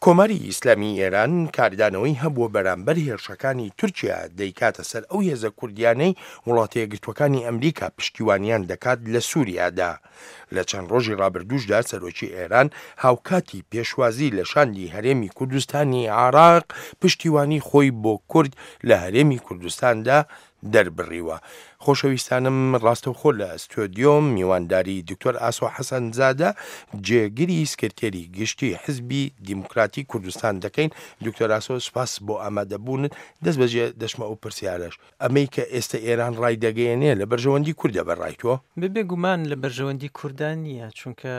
کۆماری ئیسلامیی ئێران کاردانەوەی هەبووە بەرامبەر هێرشەکانی تورکیا دەیکاتە سەر ئەو هێزە کوردیانەی وڵاتەیەکگرتووەکانی ئەمریکا پشتیوانیان دەکات لە سوریادا. لە چەند ڕۆژی ڕابردووشدا سەرۆکی ئێران هاوکاتی پێشوازی لە شاندی هەرێمی کوردستانی عێراق پشتیوانی خۆی بۆ کورد لە هەرێمی کوردستاندا دەربڕیوە. خۆشەویستانم ڕاستەوخۆ لە ستۆدیۆم میوانداری دکتۆر ئاسۆ حەسەنزادە جێگری سکرتێری گشتی حزبی دیموکراتی کوردستان دەکەین. دکتۆر ئاسۆ سوپاس بۆ ئامادەبوونت. دەست بەجێ دەچمە ئەو پرسیارەش ئەمەی کە ئێستە ئێران ڕایدەگەیەنێ لە بەرژەوەندی کوردە بە ڕای تۆ؟ بێ گومان لە بەرژەوەندی کوردان نییە چونکە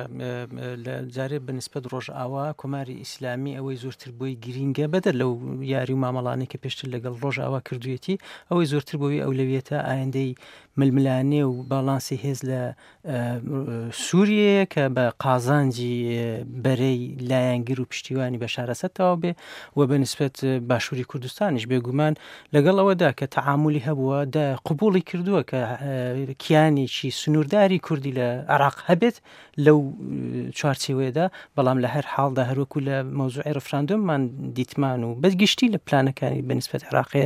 لە جارێ بە نسبەت ڕۆژئاوا کۆماری ئیسلامی ئەوەی زۆرتر بۆی گرینگە بەدەر لەو یاری و مامەڵانەی کە پێشتر لەگەڵ ڕۆژئاوا کردوویەتی ئەوەی زۆرتر بۆی ئەولەویەتە ئایندەی ململانێ و باڵانسی هێز لە سووریەیە کە بە قازانجی بەرەی لایەنگر و پشتیوانی بەشار ئەسەد تەواو بێ و بە نسبەت باشووری کوردستانیش بێگومان لەگەڵ ئەوەدا کە تەعامولی هەبووە دە قبوڵی کردووە کە کیانێکی سنوورداری کوردی لە عراق هەبێت لەو چوارچێوەیەدا بەڵام لە هەر حاڵدا هەروەکو لە مەوزوعی ڕفراندۆممان دیتمان و بە گشتی لە پلانەکانی بە نسبەت عراقێ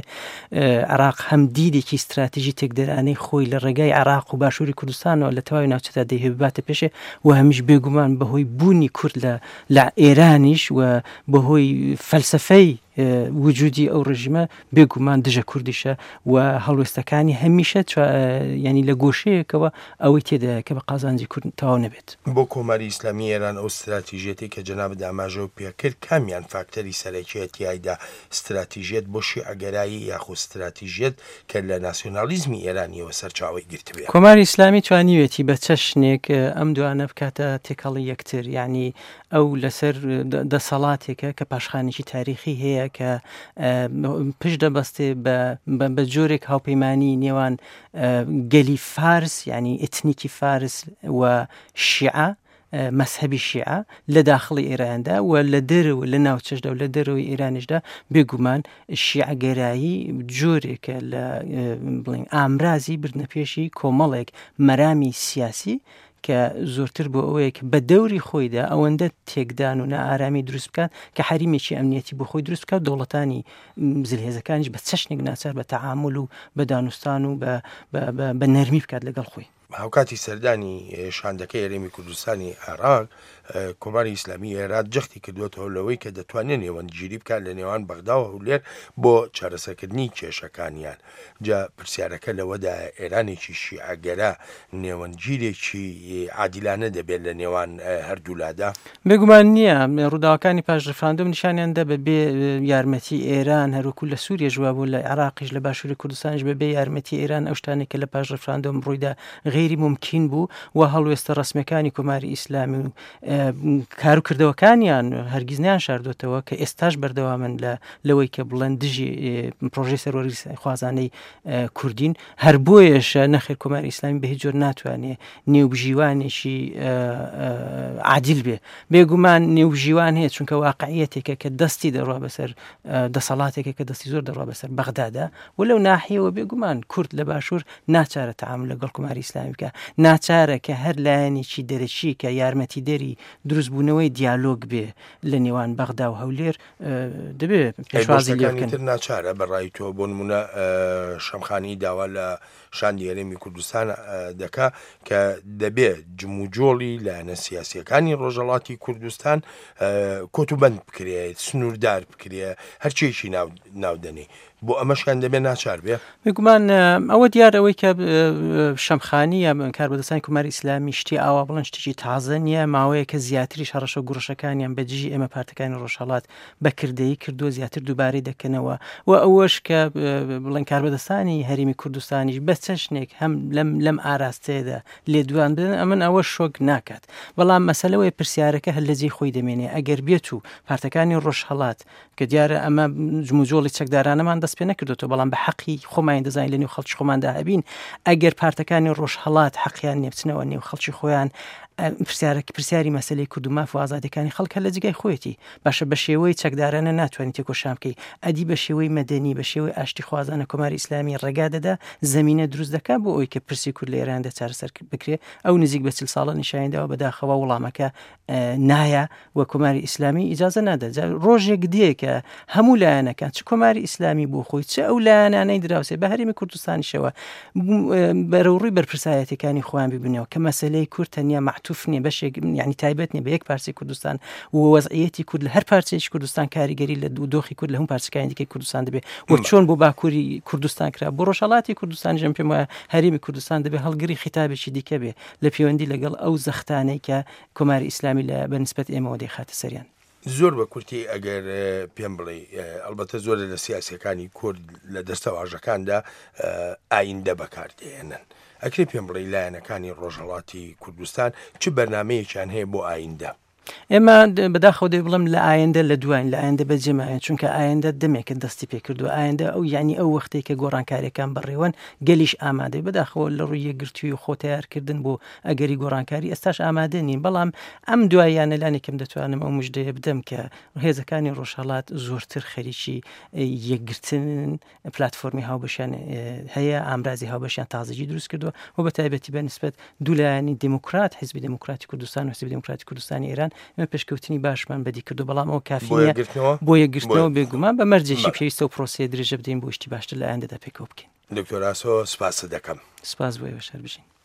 عراق هەم دیدێکی استراتیژی تێکدەرانەی خۆی لە ڕێگای عراق و باشووری کوردستانەوە لە تەواوی ناوچەدا دەیهەوێ بباتە پێشێ و هەمیش بێگومان بەهۆی بوونی کورد لە لە ئێرانیش و بەهۆی فەلسەفەی وجودی ئەو ڕژیمە بێگومان دژە کوردیشە و هەڵوێستەکانی هەمیشە ینی لە گۆشەیەکەوە ئەوەی تێدایە کە بە قازانجی کورد تەواو نەبێت. بۆ کۆماری ئیسلامی ئێران ئەو ستراتیژیەتەی کە جەنابت ئاماژەو پێکرد کامیان فاکتەری سەرەکیە تیایدا ستراتیژیەت بۆ شیعەگەرایی یاخود ستراتیژیەت کە لە ناسیۆنالیزمی ئێرانیەوە سەرچاوەی گرتبێ؟ کۆماری ئیسلامی توانیوێتی بە چەشنێک ئەم دوانە بکاتە تێکەڵی یەکتر یانی ئەو لەسەر دەسەڵاتێکە کە پاشخانێکی تاریخی هەیە کە پشت دەبەستێ بە جۆرێک هاوپەیمانی نێوان گەلی فارس یعنی ئتنیکی فارس و شیعە مەسهبی شیعە لە داخڵی ئێراندا و لە دەرەوە لە ناوچەشدا و لە دەرەوەی ئێرانیشدا بێگومان شیعەگەرایی جۆرێکە لە بڵین ئامرازی بردنەپێشی کۆمەڵێک مەرامی سیاسی کە زۆرتر بۆ ئەوەیە کە بە دەوری خۆیدا ئەوەندە تێکدان و نائارامی دروست بکات کە حەریمێکی ئەمنیەتی بۆ خۆی دروست بکات دەوڵەتانی زلهێزەکانیش بە چەشنێک ناچار بە تەعامول و بە دانوستان و بە نەرمی بکات لەگەڵ خۆی. هاوکاتی سەردانی شاندەکەی هەرێمی کوردستانی عێراق، کۆماری ئیسلامی ئێران جەختی کردووەتەوە لەوەی کە دەتوانێت نێوەندگیری بکات لە نێوان بەغدا و هەولێر بۆ چارەسەرکردنی کێشەکانیان. جا پرسیارەکە لەوەدایە ئێرانێکی شیعەگەرا نێوەندگیرێکی عادیلانە دەبێت لە نێوان هەردوولادا؟ بێگومان نییە. ڕووداوەکانی پاش ڕیفراندۆم نیشانیان دا بە بێ یارمەتی ئێران هەروەکو لە سووریەش وابوو لە عێراقیش لە باشووری کوردستانیش بە بێ یارمەتی ئێران ئەو شتانەی کە لە پاش ڕیفراندۆم ڕوویدا غەیری مومکین بوو و هەڵوێستە ڕەسمیەکانی کۆماری ئیسلامی و کار و کردەوەکانیان هەرگیز نیان شاردۆتەوە کە ئێستاش بەردەوامن لە لەوەی کە بڵێن دژی پرۆژەی سەروەری خوازانەی کوردین هەر بۆیەشە نەخێر کۆماری ئیسلامی بە هیچ جۆر ناتوانێ نێوبژیوانێکی عادل بێ بێگومان نێوبژیوان هەیە چونکە واقعیەتێکە کە دەستی دەڕوا بەسەر دەسەڵاتێکە کە دەستی زۆر دەڕوا بەسەر بەغدادا و لەو ناحیەوە بێگومان کورد لە باشوور ناچارە تەعامول لەگەڵ کۆماری ئیسلامی بکە ناچارە کە هەر لایەنێکی دەرەکی کە یارمەتیدەری دروستبوونەوەی دیالۆگ بێ لە نێوان بەغدا و هەولێر دەبێ پێشوازی لێ بکەن. تر ناچارە بە ڕای تۆ بۆ نمونە شەمخانی داوا لە شاندی هەرێمی کوردستان دەکا کە دەبێ جموجۆڵی لایەنە سیاسیەکانی ڕۆژەڵاتی کوردستان کۆت و بەند بکرێت سنووردار بکرێ هەرچێکی ناودەنێ بۆ ئەمەشیان دەبێ ناچار بێ؟ بێگومان ئەوە دیار ئەوەی کە شەمخانی یا کاربەدەستانی کۆماری ئیسلامی شتی ئاوا بڵێن شتێکی تازە نییە ماوەیە کە زیاتریش هەڕەشە و گوڕەشەکانیان بە دژی ئێمە پارتەکانی ڕۆژهەڵات بە کردەیی کردووە زیاتر دووبارەی دەکەنەوە و ئەوەش کە بڵێن کاربەدەستانی هەرێمی کوردستانیش بە چەشنێک هەم لەم لەم ئاراستەیەدا لێدوان بدەن ئەمن ئەوە شۆک ناکات بەڵام مەسەلەوەی پرسیارەکە هەر لە جێی خۆی دەمێنێ ئەگەر بێت و پارتەکانی ڕۆژهەڵات کە دیارە ئەمە جموجۆڵی چەکدارانەمان دەست پێ نەکردوێتەوە بەڵام بە حەقی خۆمانی دەزانین لە نێو خەڵکی خۆماندا هەبین ئەگەر پارتەکانی ڕۆژهەڵات حەقیان نیە بچنەوە نێو خەڵکی خۆیان. پرسیارەک پرسیاری مەسەلەی کورد و ماف و ئازادیەکانی خەڵک هەر لە جێگای خۆیەتی. باشە بە شێوەی چەکدارانە ناتوانی تێکۆشان بکەی، ئەدی بە شێوەی مەدەنی، بە شێوەی ئاشتیخوازانە کۆماری ئیسلامی ڕێگا دەدا، زەمینە دروست دەکا بۆ ئەوەی کە پرسی کورد لە ئێراندا چارەسەر بکرێ؟ ئەو نزیک بە چل ساڵە نیشانی داوە بەداخەوە وڵامەکە نایە و کۆماری ئیسلامی ئیجازە نادا. جا ڕۆژێک دێ کە هەموو لایەنەکان چ کۆماری ئیسلامی بۆ خۆی چ ئەو لایەنانەی دراوسێ بە هەرێمی کوردستانیشەوە بەرەوڕووی بەرپرسایەتەکانی خۆیان ببینەوە کە مەسلەی کورد تەنیا معتوف نییە بەشێک یعنی تایبەت نیە بە یەک پارچەی کوردستان و وەزعیەتی کورد لە هەر پارچەیەکی کوردستان کاریگەری لە دوو دۆخی کورد لە هەموو پارچەکانی دیکەی کوردستان دەبێت و چۆن بۆ باکووری کوردستان کرا بۆ ڕۆژهەڵاتی کوردستان ژەم پێم وایە هەرێمی کوردستان دەبێت هەڵگری خیتابێکی دیکە بێ لە پەیوەندی لەگەڵ ئەو زەختانەی کە کۆماری ئیسلامی لە بە نسبەت ئێمەوە دەیخاتە سەریان. زۆر بە کورتی ئەگەر پێم بڵێی ئەڵبەتە زۆرە لە سیاسیەکانی کورد لە دەستەواژەکاندا ئایندە بەکار دێنن ئەکرێ پێم بڵێی لایەنەکانی ڕۆژهەڵاتی کوردستان چ بەرنمەیەکیان هەیە بۆ ئایندە؟ ئێمە بەداخەوە دەبێ بڵێم لە ئایندە لە دواین لە ئایندە بەجێ ماوین چونکە ئایندە دەمێکە دەستی پێکردووە ئایندە ئەو یعنی ئەو وەختێک کە گۆڕانکاریەکان بەڕێوەن گەلیش ئامادەی بەداخەوە لە ڕووی یەکگرتووی و خۆ تەیارکردن بۆ ئەگەری گۆڕانکاری ئێستاش ئامادە نین بەڵام ئەم دواییانە لانیکەم دەتوانم ئەو مژدەیە بدەم کە هێزەکانی ڕۆژهەڵات زۆرتر خەریکی یەکگرتنن پلتفۆرمی هاوبەشیان هەیە ئامرازی هاوبەشیان تازەگی دروست کردووە و بە تایبەتی بە نسبەت دوو لایەنی دێموکرات حیزبی دێموکراتی کوردستان و حیزبی دێموکراتی کوردستانی ئێران ئێمە پێشکەوتنی باشمان بەدی کردو بەڵام ئەو کافی بۆ نییە یەکگرتنەوە بۆ یەکگرتنەوە بۆ بێگومان بە مەرجێکی بەڵێ. پێویستە و پرۆسەیە درێژە بدەین بۆ شتی باشتر لە ئایندەدا پێکەوە بکەین. دکتۆر ئاسۆ سپاست دەکەم. سپاس بۆ ئێوەش هەر بژین.